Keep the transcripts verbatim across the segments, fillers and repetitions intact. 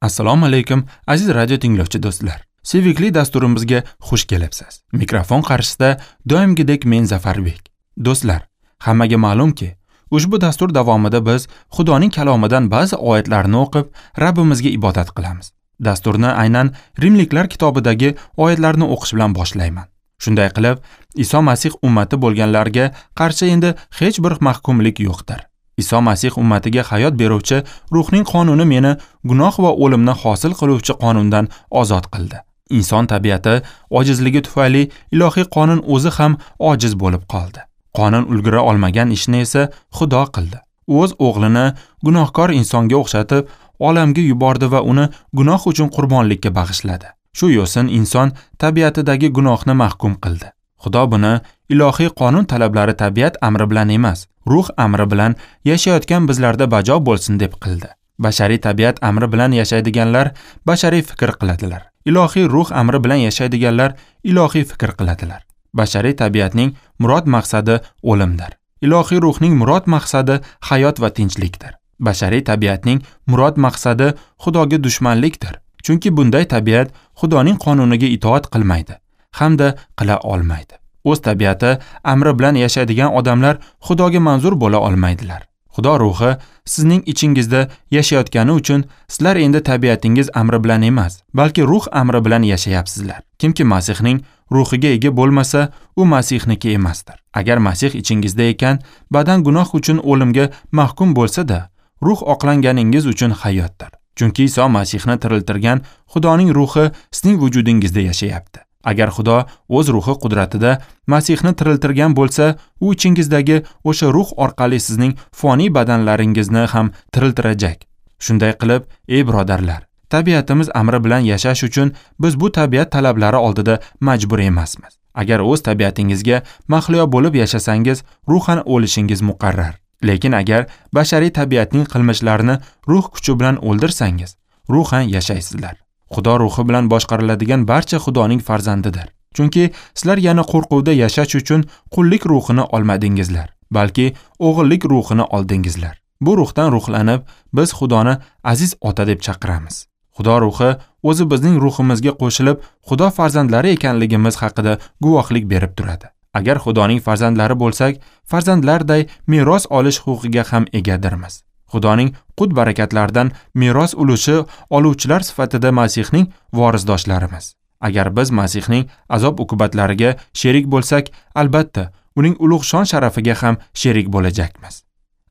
Assalomu alaykum aziz radio tinglovchi do'stlar. Sevikli dasturimizga xush kelibsiz. Mikrofon qarshisida doimgidek men Zafarbek. Do'stlar, hammaga ma'lumki, ushbu dastur davomida biz Xudoning kalomidan ba'zi oyatlarni o'qib, Rabbimizga ibodat qilamiz. Dasturni aynan Rimliklar kitobidagi oyatlarni o'qish bilan boshlayman. Shunday qilib, Iso Masih ummati bo'lganlarga qarshi endi hech bir mahkumlik yo'qdir. Iso Masih ummatiga hayot beruvchi ruhning qonuni meni gunoh va o'limni hosil qiluvchi qonundan ozod qildi. Inson tabiati ojizligi tufayli ilohiy qonun o'zi ham ojiz bo'lib qoldi. Qonun ulgura olmagan ishni esa Xudo qildi. O'z o'g'lini gunohkor insonga o'xshatib, olamga yubordi va uni gunoh uchun qurbonlikka bag'ishladi. Shu yo'sin inson tabiatidagi gunohni mahkum qildi. Xudo buni ilohiy qonun talablari tabiat amri bilan emas, ruh amri bilan yashayotgan bizlarda bajo bo'lsin deb qildi. Bashariy tabiat amri bilan yashaydiganlar bashariy fikr qiladilar. Ilohiy ruh amri bilan yashaydiganlar ilohiy fikr qiladilar. Bashariy tabiatning murod maqsadi o'limdir. Ilohiy ruhning murod maqsadi hayot va tinchlikdir. Bashariy tabiatning murod maqsadi Xudoga dushmanlikdir. Chunki bunday tabiat Xudoning qonuniga itoat qilmaydi hamda qila olmaydi. O'z tabiati amri bilan yashaydigan odamlar Xudoga manzur bo'la olmaydilar. Xudo ruhi sizning ichingizda yashayotgani uchun sizlar endi tabiatingiz amri bilan emas, balki ruh amri bilan yashayapsizlar. Kimki Masihning ruhiga ega bo'lmasa, u Masihniki emasdir. Agar Masih ichingizda ekan, badan gunoh uchun o'limga mahkum bo'lsa-da, ruh oqlanganingiz uchun hayotdir. Chunki Iso Masihni tiriltirgan Xudoning ruhi sizning vujudingizda yashayapti. Agar Xudo o'z ruhi qudratida Masihni tiriltirgan bo'lsa, u ichingizdagi o'sha ruh orqali sizning foniy badanlaringizni ham tiriltirajak. Shunday qilib, ey birodarlar, tabiatimiz amri bilan yashash uchun biz bu tabiat talablari oldida majbur emasmiz. Agar o'z tabiatingizga mahliyo bo'lib yashasangiz, ruhan o'lishingiz muqarrar. Lekin agar bashariy tabiatning qilmishlarini ruh kuchi bilan o'ldirsangiz, ruhan yashaysizlar. Xudo ruhi bilan boshqariladigan barcha Xudoning farzandidir. Chunki sizlar yana qo'rquvda yashash uchun qullik ruhini olmadingizlar, balki o'g'illik ruhini oldingizlar. Bu ruhdan ruhlanib, biz Xudoni aziz ota deb chaqiramiz. Xudo ruhi o'zi bizning ruhimizga qo'shilib, Xudo farzandlari ekanligimiz haqida guvohlik berib turadi. Agar Xudoning farzandlari bo'lsak, farzandlarday meros olish huquqiga ham egadirmiz. Xudoning qut barakatlaridan meros ulushi oluvchilar sifatida Masihning vorisdoshlarimiz. Agar biz Masihning azob uqubatlariga sherik bo'lsak, albatta uning ulug' shon sharafiga ham sherik bo'lajakmiz.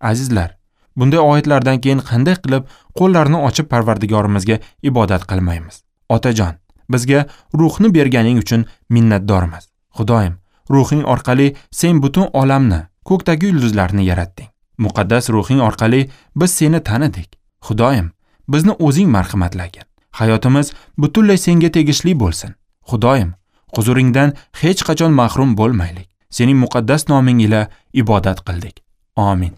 Azizlar, bunday oyatlardan keyin qanday qilib qo'llarni ochib Parvardigorimizga ibodat qilmaymiz? Otajon, bizga ruhni berganing uchun minnatdormiz. Xudoyim, ruhing orqali sen butun olamni, ko'kdagi yulduzlarni yaratding. Muqaddas ruhing orqali biz seni tanidik. Xudoyim, bizni o'zing marhamatlagin. Hayotimiz butunlay senga tegishli bo'lsin. Xudoyim, huzuringdan hech qachon mahrum bo'lmaylik. Sening muqaddas noming ila ibodat qildik. Amin.